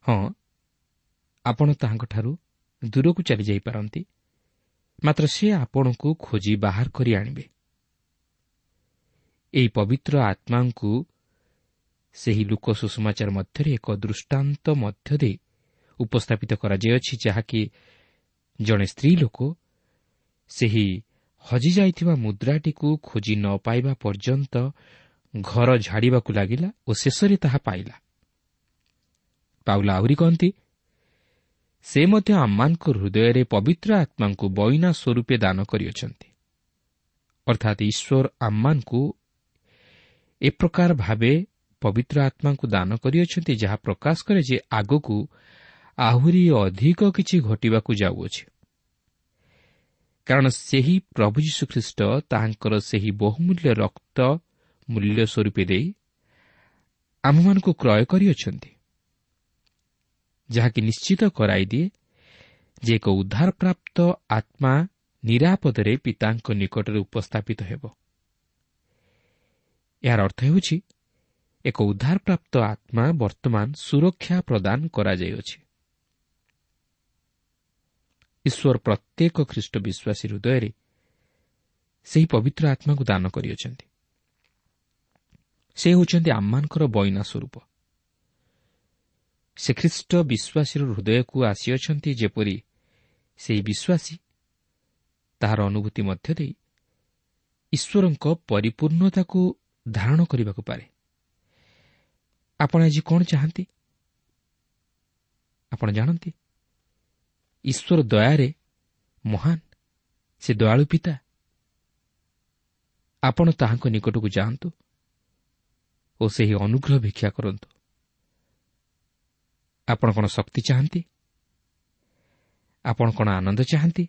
ହଁ, ଆପଣ ତାହାଙ୍କଠାରୁ ଦୂରକୁ ଚାଲିଯାଇପାରନ୍ତି, ମାତ୍ର ସେ ଆପଣଙ୍କୁ ଖୋଜି ବାହାର କରି ଆଣିବେ। ଏହି ପବିତ୍ର ଆତ୍ମାଙ୍କୁ ସେହି ଲୂକ ସୁସମାଚାର ମଧ୍ୟରେ ଏକ ଦୃଷ୍ଟାନ୍ତ ମଧ୍ୟ ଦେଇ ଉପସ୍ଥାପିତ କରାଯାଇଅଛି, ଯାହାକି ଜଣେ ସ୍ତ୍ରୀ ଲୋକ ସେହି ହଜିଯାଇଥିବା ମୁଦ୍ରାଟିକୁ ଖୋଜି ନ ପାଇବା ପର୍ଯ୍ୟନ୍ତ ଘର ଝାଡ଼ିବାକୁ ଲାଗିଲା ଓ ଶେଷରେ ତାହା ପାଇଲା। ପାଉଲ ଆହୁରି କହନ୍ତି, ସେ ମଧ୍ୟ ଆମମାନଙ୍କ ହୃଦୟରେ ପବିତ୍ର ଆତ୍ମାଙ୍କୁ ବଇନା ସ୍ୱରୂପେ ଦାନ କରିଅଛନ୍ତି। ଅର୍ଥାତ୍ ଈଶ୍ୱର ଆମମାନଙ୍କୁ ଏ ପ୍ରକାର ଭାବେ ପବିତ୍ର ଆତ୍ମାଙ୍କୁ ଦାନ କରିଅଛନ୍ତି, ଯାହା ପ୍ରକାଶ କରେ ଯେ ଆଗକୁ ଆହୁରି ଅଧିକ କିଛି ଘଟିବାକୁ ଯାଉଅଛି। କାରଣ ସେହି ପ୍ରଭୁ ଯୀଶୁଖ୍ରୀଷ୍ଟ ତାହାଙ୍କର ସେହି ବହୁମୂଲ୍ୟ ରକ୍ତ ମୂଲ୍ୟ ସ୍ୱରୂପେ ଦେଇ ଆମମାନଙ୍କୁ କ୍ରୟ କରିଅଛନ୍ତି, ଯାହାକି ନିଶ୍ଚିତ କରାଇଦିଏ ଯେ ଏକ ଉଦ୍ଧାରପ୍ରାପ୍ତ ଆତ୍ମା ନିରାପଦରେ ପିତାଙ୍କ ନିକଟରେ ଉପସ୍ଥାପିତ ହେବ। ଏହାର ଅର୍ଥ ହେଉଛି ଏକ ଉଦ୍ଧାରପ୍ରାପ୍ତ ଆତ୍ମା ବର୍ତ୍ତମାନ ସୁରକ୍ଷା ପ୍ରଦାନ କରାଯାଇଅଛି। ଈଶ୍ୱର ପ୍ରତ୍ୟେକ ଖ୍ରୀଷ୍ଟ ବିଶ୍ୱାସୀ ହୃଦୟରେ ସେହି ପବିତ୍ର ଆତ୍ମାକୁ ଦାନ କରିଅଛନ୍ତି। ସେ ହେଉଛନ୍ତି ଆମମାନଙ୍କର ବଇନା ସ୍ୱରୂପ। ସେ ଖ୍ରୀଷ୍ଟ ବିଶ୍ୱାସୀର ହୃଦୟକୁ ଆସିଅଛନ୍ତି, ଯେପରି ସେହି ବିଶ୍ୱାସୀ ତାହାର ଅନୁଭୂତି ମଧ୍ୟ ଦେଇ ଈଶ୍ୱରଙ୍କ ପରିପୂର୍ଣ୍ଣତାକୁ ଧାରଣ କରିବାକୁ ପାରେ। ଆପଣ ଆଜି କ'ଣ ଚାହାନ୍ତି? ଆପଣ ଜାଣନ୍ତି ଈଶ୍ୱର ଦୟାରେ ମହାନ, ସେ ଦୟାଳୁ ପିତା। ଆପଣ ତାହାଙ୍କ ନିକଟକୁ ଯାଆନ୍ତୁ ଓ ସେହି ଅନୁଗ୍ରହ ଭିକ୍ଷା କରନ୍ତୁ। ଆପଣ କ'ଣ ଶକ୍ତି ଚାହାନ୍ତି? ଆପଣ କ'ଣ ଆନନ୍ଦ ଚାହାନ୍ତି?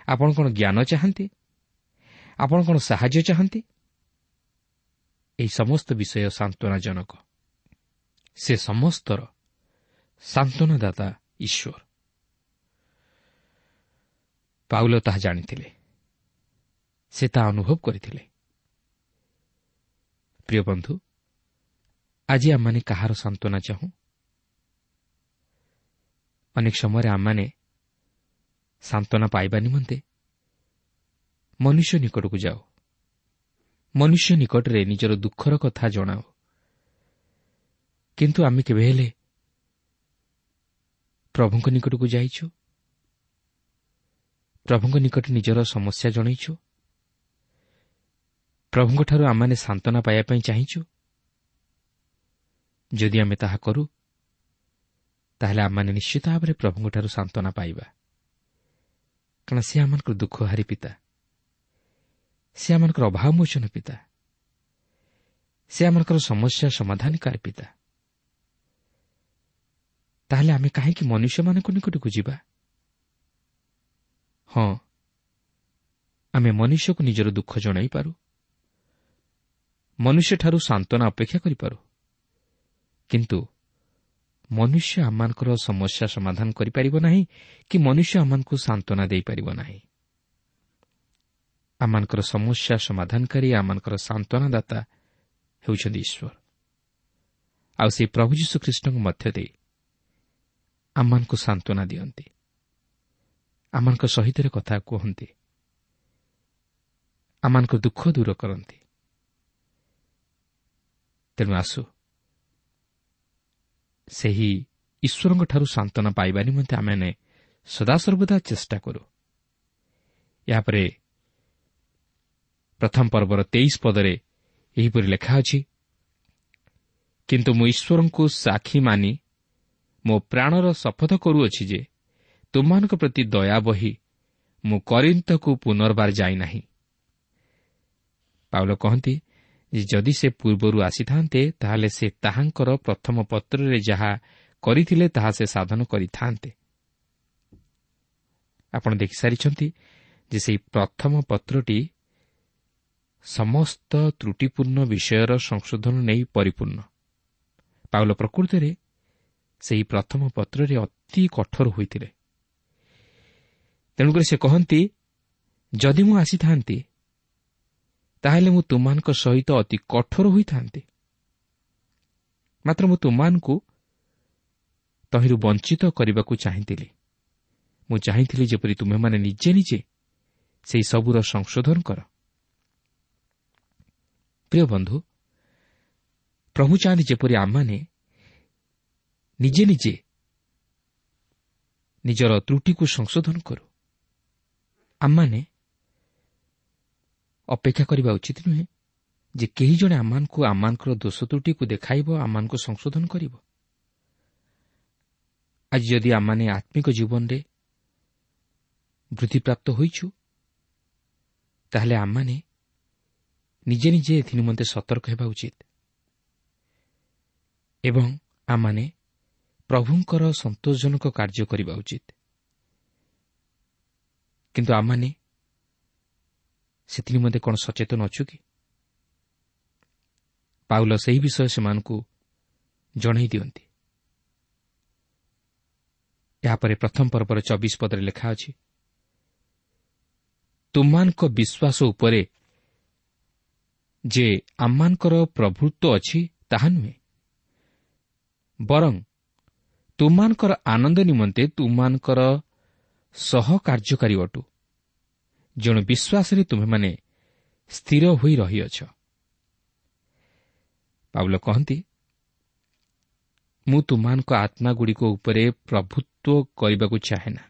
ଆପଣ କ'ଣ ଜ୍ଞାନ ଚାହାନ୍ତି? ଆପଣ କ'ଣ ସାହାଯ୍ୟ ଚାହାନ୍ତି? ଏହି ସମସ୍ତ ବିଷୟ ସାନ୍ତ୍ୱନାଜନକ। ସେ ସମସ୍ତର ସାନ୍ତ୍ୱନାଦାତା ଈଶ୍ୱର। ପାଉଲ ତାହା ଜାଣିଥିଲେ, ସେ ତାହା ଅନୁଭବ କରିଥିଲେ। ପ୍ରିୟ ବନ୍ଧୁ, ଆଜି ଆମମାନେ କାହାର ସାନ୍ତ୍ୱନା ଚାହୁଁ? ଅନେକ ସମୟରେ ଆମମାନେ ସାନ୍ତ୍ୱନା ପାଇବା ନିମନ୍ତେ ମନୁଷ୍ୟ ନିକଟକୁ ଯାଉ, ମନୁଷ୍ୟ ନିକଟରେ ନିଜର ଦୁଃଖର କଥା ଜଣାଉ, କିନ୍ତୁ ଆମେ କେବେ ହେଲେ ପ୍ରଭୁଙ୍କ ନିକଟକୁ ଯାଇଛୁ? ପ୍ରଭୁଙ୍କ ନିକଟରେ ନିଜର ସମସ୍ୟା ଜଣାଇଛୁ? ପ୍ରଭୁଙ୍କଠାରୁ ଆମମାନେ ସାନ୍ତ୍ୱନା ପାଇବା ପାଇଁ ଚାହିଁଛୁ? ଯଦି ଆମେ ତାହା କରୁ, ତାହେଲେ ଆମମାନେ ନିଶ୍ଚିତ ଭାବରେ ପ୍ରଭୁଙ୍କଠାରୁ ସାନ୍ତ୍ୱନା ପାଇବା, କାରଣ ସେ ଆମମାନଙ୍କର ଦୁଃଖହାରୀ ପିତା, ସେ ଆମମାନଙ୍କର ଅଭାବମୋଚନ ପିତା, ସେ ଆମମାନଙ୍କର ସମସ୍ୟା ସମାଧାନକାରୀ ପିତା। ତାହେଲେ ଆମେ କାହିଁକି ମନୁଷ୍ୟମାନଙ୍କ ନିକଟକୁ ଯିବା? ହଁ, ଆମେ ମନୁଷ୍ୟକୁ ନିଜର ଦୁଃଖ ଜଣାଇପାରୁ, ମନୁଷ୍ୟଠାରୁ ସାନ୍ତ୍ୱନା ଅପେକ୍ଷା କରିପାରୁ, କିନ୍ତୁ ମନୁଷ୍ୟ ଆମମାନଙ୍କର ସମସ୍ୟା ସମାଧାନ କରିପାରିବ ନାହିଁ କି ମନୁଷ୍ୟ ଆମମାନଙ୍କୁ ସାନ୍ତ୍ୱନା ଦେଇପାରିବ ନାହିଁ। ଆମମାନଙ୍କର ସମସ୍ୟା ସମାଧାନକାରୀ, ଆମମାନଙ୍କର ସାନ୍ତ୍ୱନାଦାତା ହେଉଛନ୍ତି ଈଶ୍ୱର, ଆଉ ସେହି ପ୍ରଭୁ ଯୀଶୁଖ୍ରୀଷ୍ଟଙ୍କ ମଧ୍ୟ ଦେଇ ଆମମାନଙ୍କୁ ସାନ୍ତ୍ୱନା ଦିଅନ୍ତି, ଆମମାନଙ୍କ ସହିତ କଥା କୁହନ୍ତି, ଆମମାନଙ୍କ ଦୁଃଖ ଦୂର କରନ୍ତି। ତେଣୁ ଆସୁ ସେହି ଈଶ୍ୱରଙ୍କଠାରୁ ସାନ୍ତ୍ୱନା ପାଇବା ନିମନ୍ତେ ଆମେମାନେ ସଦାସର୍ବଦା ଚେଷ୍ଟା କରୁ। ଏହାପରେ ପ୍ରଥମ ପର୍ବର 23 ପଦରେ ଏହିପରି ଲେଖା ଅଛି, କିନ୍ତୁ ମୁଁ ଈଶ୍ୱରଙ୍କୁ ସାକ୍ଷୀ ମାନି ମୋ ପ୍ରାଣର ଶପଥ କରୁଅଛି ଯେ ତୁମମାନଙ୍କ ପ୍ରତି ଦୟା ବହି ମୁଁ କରିନ୍ଥକୁ ପୁନର୍ବାର ଯାଇନାହିଁ। ପାଉଲ କହନ୍ତି ଯେ ଯଦି ସେ ପୂର୍ବରୁ ଆସିଥାନ୍ତେ, ତାହେଲେ ସେ ତାହାଙ୍କର ପ୍ରଥମ ପତ୍ରରେ ଯାହା କରିଥିଲେ ତାହା ସେ ସାଧନ କରିଥାନ୍ତେ। ଆପଣ ଦେଖିସାରିଛନ୍ତି ଯେ ସେହି ପ୍ରଥମ ପତ୍ରଟି ସମସ୍ତ ତ୍ରୁଟିପୂର୍ଣ୍ଣ ବିଷୟର ସଂଶୋଧନ ନେଇ ପରିପୂର୍ଣ୍ଣ। ପାଉଲ ପ୍ରକୃତରେ ସେହି ପ୍ରଥମ ପତ୍ରରେ ଅତି କଠୋର ହୋଇଥିଲେ। ତେଣୁକରି ସେ କହନ୍ତି, ଯଦି ମୁଁ ଆସିଥାନ୍ତି ତାହେଲେ ମୁଁ ତୁମମାନଙ୍କ ସହିତ ଅତି କଠୋର ହୋଇଥାନ୍ତି, ମାତ୍ର ମୁଁ ତୁମମାନଙ୍କୁ ତହିଁରୁ ବଞ୍ଚିତ କରିବାକୁ ଚାହିଁଥିଲି। ମୁଁ ଚାହିଁଥିଲି ଯେପରି ତୁମେମାନେ ନିଜେ ନିଜେ ସେହି ସବୁର ସଂଶୋଧନ କର। ପ୍ରିୟ ବନ୍ଧୁ, ପ୍ରଭୁ ଚାହାନ୍ତି ଯେପରି ଆମମାନେ ନିଜେ ନିଜେ ନିଜର ତ୍ରୁଟିକୁ ସଂଶୋଧନ କରୁ। ଆମମାନେ ଅପେକ୍ଷା କରିବା ଉଚିତ ନୁହେଁ ଯେ କେହି ଜଣେ ଆମମାନଙ୍କୁ ଆମମାନଙ୍କର ଦୋଷ ତ୍ରୁଟିକୁ ଦେଖାଇବ, ଆମମାନଙ୍କୁ ସଂଶୋଧନ କରିବ। ଆଜି ଯଦି ଆମମାନେ ଆତ୍ମିକ ଜୀବନରେ ବୃଦ୍ଧିପ୍ରାପ୍ତ ହୋଇଛୁ, ତାହେଲେ ଆମମାନେ ନିଜେ ନିଜେ ଏଥି ନିମନ୍ତେ ସତର୍କ ହେବା ଉଚିତ ଏବଂ ଆମମାନେ ପ୍ରଭୁଙ୍କର ସନ୍ତୋଷଜନକ କାର୍ଯ୍ୟ କରିବା ଉଚିତ। କିନ୍ତୁ ଆମମାନେ ସେଥି ନିମନ୍ତେ କ'ଣ ସଚେତନ ଅଛୁ କି? ପାଉଲ ସେହି ବିଷୟ ସେମାନଙ୍କୁ ଜଣାଇ ଦିଅନ୍ତି। ଏହାପରେ ପ୍ରଥମ ପର୍ବର 24 ପଦରେ ଲେଖା ଅଛି, ତୁମମାନଙ୍କ ବିଶ୍ୱାସ ଉପରେ ଯେ ଆମମାନଙ୍କର ପ୍ରଭୁତ୍ୱ ଅଛି ତାହା ନୁହେଁ, ବରଂ ତୁମମାନଙ୍କର ଆନନ୍ଦ ନିମନ୍ତେ ତୁମମାନଙ୍କର ସହକାର୍ଯ୍ୟକାରୀ ଅଟୁ, ଯେଣୁ ବିଶ୍ୱାସରେ ତୁମେମାନେ ସ୍ଥିର ହୋଇ ରହିଅଛ। ପାଉଲ କହନ୍ତି, ମୁଁ ତୁମମାନଙ୍କ ଆତ୍ମାଗୁଡ଼ିକ ଉପରେ ପ୍ରଭୁତ୍ୱ କରିବାକୁ ଚାହେଁ ନା।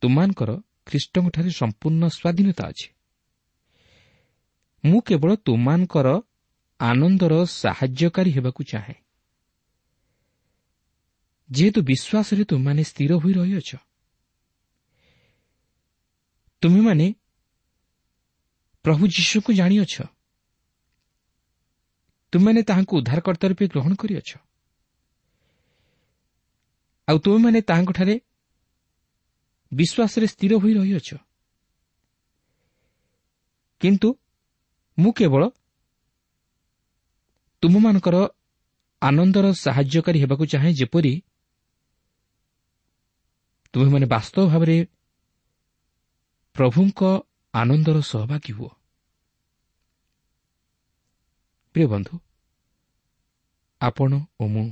ତୁମମାନଙ୍କର ଖ୍ରୀଷ୍ଟଙ୍କଠାରେ ସମ୍ପୂର୍ଣ୍ଣ ସ୍ୱାଧୀନତା ଅଛି। ମୁଁ କେବଳ ତୁମମାନଙ୍କର ଆନନ୍ଦର ସାହାଯ୍ୟକାରୀ ହେବାକୁ ଚାହେଁ, ଯେହେତୁ ବିଶ୍ୱାସରେ ତୁମେମାନେ ସ୍ଥିର ହୋଇ ରହିଅଛ। ତୁମେମାନେ ପ୍ରଭୁ ଯୀଶୁଙ୍କୁ ଜାଣିଅଛ, ତୁମେମାନେ ତାହାଙ୍କୁ ଉଦ୍ଧାରକର୍ତ୍ତା ରୂପେ ଗ୍ରହଣ କରିଅଛ, ଆଉ ତୁମେମାନେ ତାହାଙ୍କଠାରେ ବିଶ୍ୱାସରେ ସ୍ଥିର ହୋଇ ରହିଅଛ। କିନ୍ତୁ ମୁଁ କେବଳ ତୁମମାନଙ୍କର ଆନନ୍ଦର ସାହାଯ୍ୟକାରୀ ହେବାକୁ ଚାହେଁ, ଯେପରି ତୁମେମାନେ ବାସ୍ତବ ଭାବରେ ପ୍ରଭୁଙ୍କ ଆନନ୍ଦର ସହଭାଗୀ ହୁଅ। ପ୍ରିୟ ବନ୍ଧୁ, ଆପଣ ଓ ମୁଁ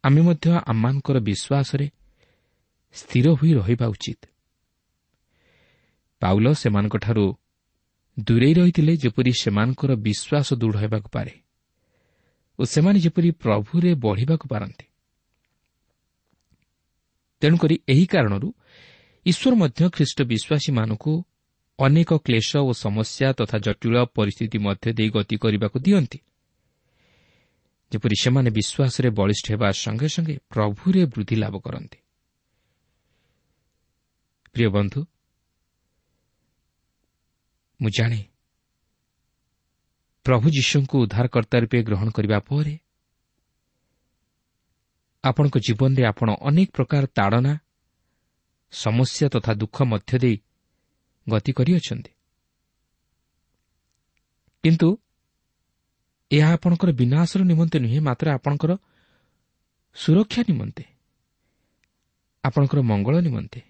ଆମେ ମଧ୍ୟ ଆମମାନଙ୍କର ବିଶ୍ୱାସରେ ସ୍ଥିର ହୋଇ ରହିବା ଉଚିତ। ପାଉଲ ସେମାନଙ୍କଠାରୁ ଦୂରେଇ ରହିଥିଲେ, ଯେପରି ସେମାନଙ୍କର ବିଶ୍ୱାସ ଦୃଢ଼ ହେବାକୁ ପାରେ ଓ ସେମାନେ ଯେପରି ପ୍ରଭୁରେ ବଢ଼ିବାକୁ ପାରନ୍ତି। ତେଣୁକରି ଏହି କାରଣରୁ ଈଶ୍ୱର ମଧ୍ୟ ଖ୍ରୀଷ୍ଟ ବିଶ୍ୱାସୀମାନଙ୍କୁ ଅନେକ କ୍ଲେଶ ଓ ସମସ୍ୟା ତଥା ଜଟିଳ ପରିସ୍ଥିତି ମଧ୍ୟ ଦେଇ ଗତି କରିବାକୁ ଦିଅନ୍ତି, ଯେପରି ସେମାନେ ବିଶ୍ୱାସରେ ବଳିଷ୍ଠ ହେବା ସଙ୍ଗେ ସଙ୍ଗେ ପ୍ରଭୁରେ ବୃଦ୍ଧି ଲାଭ କରନ୍ତି। ପ୍ରିୟ ବନ୍ଧୁ, ମୁଁ ଜାଣେ ପ୍ରଭୁ ଯୀଶୁଙ୍କୁ ଉଦ୍ଧାରକର୍ତ୍ତା ରୂପେ ଗ୍ରହଣ କରିବା ପରେ ଆପଣଙ୍କ ଜୀବନରେ ଆପଣ ଅନେକ ପ୍ରକାର ତାଡ଼ନା, ସମସ୍ୟା ତଥା ଦୁଃଖ ମଧ୍ୟ ଦେଇ ଗତି କରିଅଛନ୍ତି। କିନ୍ତୁ ଏହା ଆପଣଙ୍କର ବିନାଶର ନିମନ୍ତେ ନୁହେଁ, ମାତ୍ର ଆପଣଙ୍କର ସୁରକ୍ଷା ନିମନ୍ତେ, ଆପଣଙ୍କର ମଙ୍ଗଳ ନିମନ୍ତେ,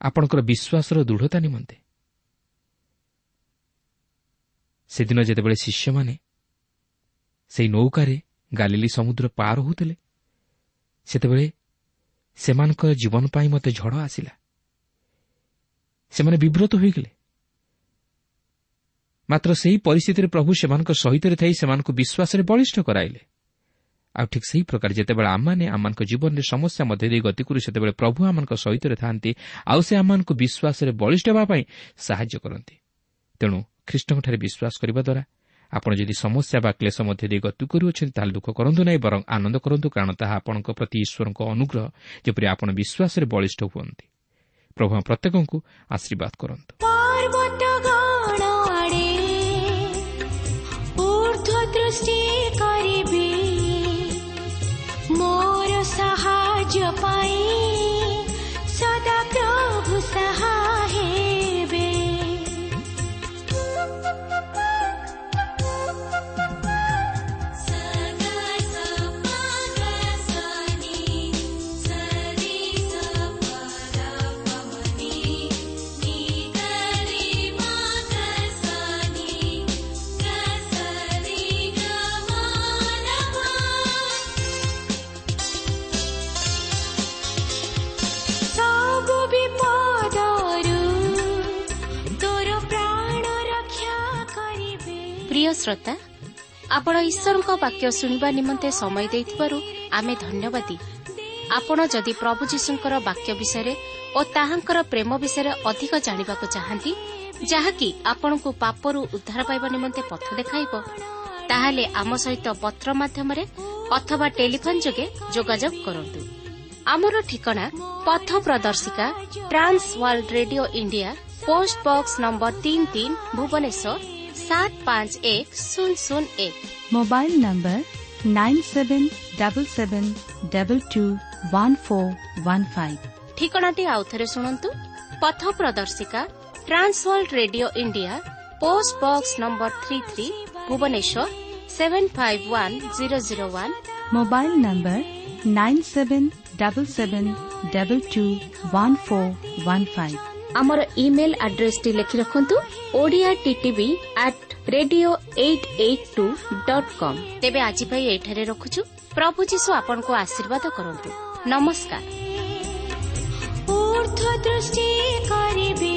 ଆପଣଙ୍କର ବିଶ୍ୱାସର ଦୃଢ଼ତା ନିମନ୍ତେ। ସେଦିନ ଯେତେବେଳେ ଶିଷ୍ୟମାନେ ସେହି ନୌକାରେ ଗାଲିଲି ସମୁଦ୍ର ପାର ହେଉଥିଲେ, ସେତେବେଳେ ସେମାନଙ୍କର ଜୀବନ ପାଇଁ ମୋତେ ଝଡ଼ ଆସିଲା। ସେମାନେ ବିବ୍ରତ ହୋଇଗଲେ। ମାତ୍ର ସେହି ପରିସ୍ଥିତିରେ ପ୍ରଭୁ ସେମାନଙ୍କ ସହିତ ଥାଇ ସେମାନଙ୍କୁ ବିଶ୍ୱାସରେ ବଳିଷ୍ଠ କରାଇଲେ। ଆଉ ଠିକ୍ ସେହି ପ୍ରକାର ଯେତେବେଳେ ଆମମାନେ ଆମମାନଙ୍କ ଜୀବନରେ ସମସ୍ୟା ମଧ୍ୟ ଦେଇ ଗତି କରୁ, ସେତେବେଳେ ପ୍ରଭୁ ଆମମାନଙ୍କ ସହିତ ଥାନ୍ତି ଆଉ ସେ ଆମମାନଙ୍କୁ ବିଶ୍ୱାସରେ ବଳିଷ୍ଠ ହେବା ପାଇଁ ସାହାଯ୍ୟ କରନ୍ତି। ତେଣୁ ଖ୍ରୀଷ୍ଟଙ୍କଠାରେ ବିଶ୍ୱାସ କରିବା ଦ୍ୱାରା ଆପଣ ଯଦି ସମସ୍ୟା ବା କ୍ଲେଶ ମଧ୍ୟ ଦେଇ ଗତି କରୁଅଛନ୍ତି, ତାହେଲେ ଦୁଃଖ କରନ୍ତୁ ନାହିଁ, ବରଂ ଆନନ୍ଦ କରନ୍ତୁ, କାରଣ ତାହା ଆପଣଙ୍କ ପ୍ରତି ଈଶ୍ୱରଙ୍କ ଅନୁଗ୍ରହ, ଯେପରି ଆପଣ ବିଶ୍ୱାସରେ ବଳିଷ୍ଠ ହୁଅନ୍ତି। ପ୍ରଭୁ ପ୍ରତ୍ୟେକଙ୍କୁ ଆଶୀର୍ବାଦ କରନ୍ତୁ।
ମୋର ସାହାଯ୍ୟ ପାଇଁ ସଦା ପ୍ରଭୁ ସାହା ହେବେ।
ପ୍ରିୟ ଶ୍ରୋତା, ଆପଣ ଈଶ୍ୱରଙ୍କ ବାକ୍ୟ ଶୁଣିବା ନିମନ୍ତେ ସମୟ ଦେଇଥିବାରୁ ଆମେ ଧନ୍ୟବାଦୀ। ଆପଣ ଯଦି ପ୍ରଭୁ ଯୀଶୁଙ୍କର ବାକ୍ୟ ବିଷୟରେ ଓ ତାହାଙ୍କର ପ୍ରେମ ବିଷୟରେ ଅଧିକ ଜାଣିବାକୁ ଚାହାନ୍ତି, ଯାହାକି ଆପଣଙ୍କୁ ପାପରୁ ଉଦ୍ଧାର ପାଇବା ନିମନ୍ତେ ପଥ ଦେଖାଇବ, ତାହେଲେ ଆମ ସହିତ ପତ୍ର ମାଧ୍ୟମରେ ଅଥବା ଟେଲିଫୋନ୍ ଯୋଗେ ଯୋଗାଯୋଗ କରନ୍ତୁ। ଆମର ଠିକଣା ପଥ ପ୍ରଦର୍ଶିକା, Trans World Radio India, post box number 33, Bhubaneswar 751001।
Mobile number 9777221415।
ଠିକଣାଟି ଆଉଥରେ ଶୁଣନ୍ତୁ। ପଥ ପ୍ରଦର୍ଶିକା, Trans World Radio India, post box number 33, Bhubaneswar 751001।
Mobile number 9777221415।
ଆମର ଇମେଲ୍ ଆଡ୍ରେସଟି ଲେଖି ରଖନ୍ତୁ, Odia TTV at radio 882.com। ତେବେ ଆଜି ପାଇଁ ଏଠାରେ ରଖୁଛୁ। ପ୍ରଭୁ ଯୀଶୁ ଆପଣଙ୍କୁ ଆଶୀର୍ବାଦ କରନ୍ତୁ। ନମସ୍କାର।
ଊର୍ଦ୍ଧ୍ୱ ଦୃଷ୍ଟି କରିବି।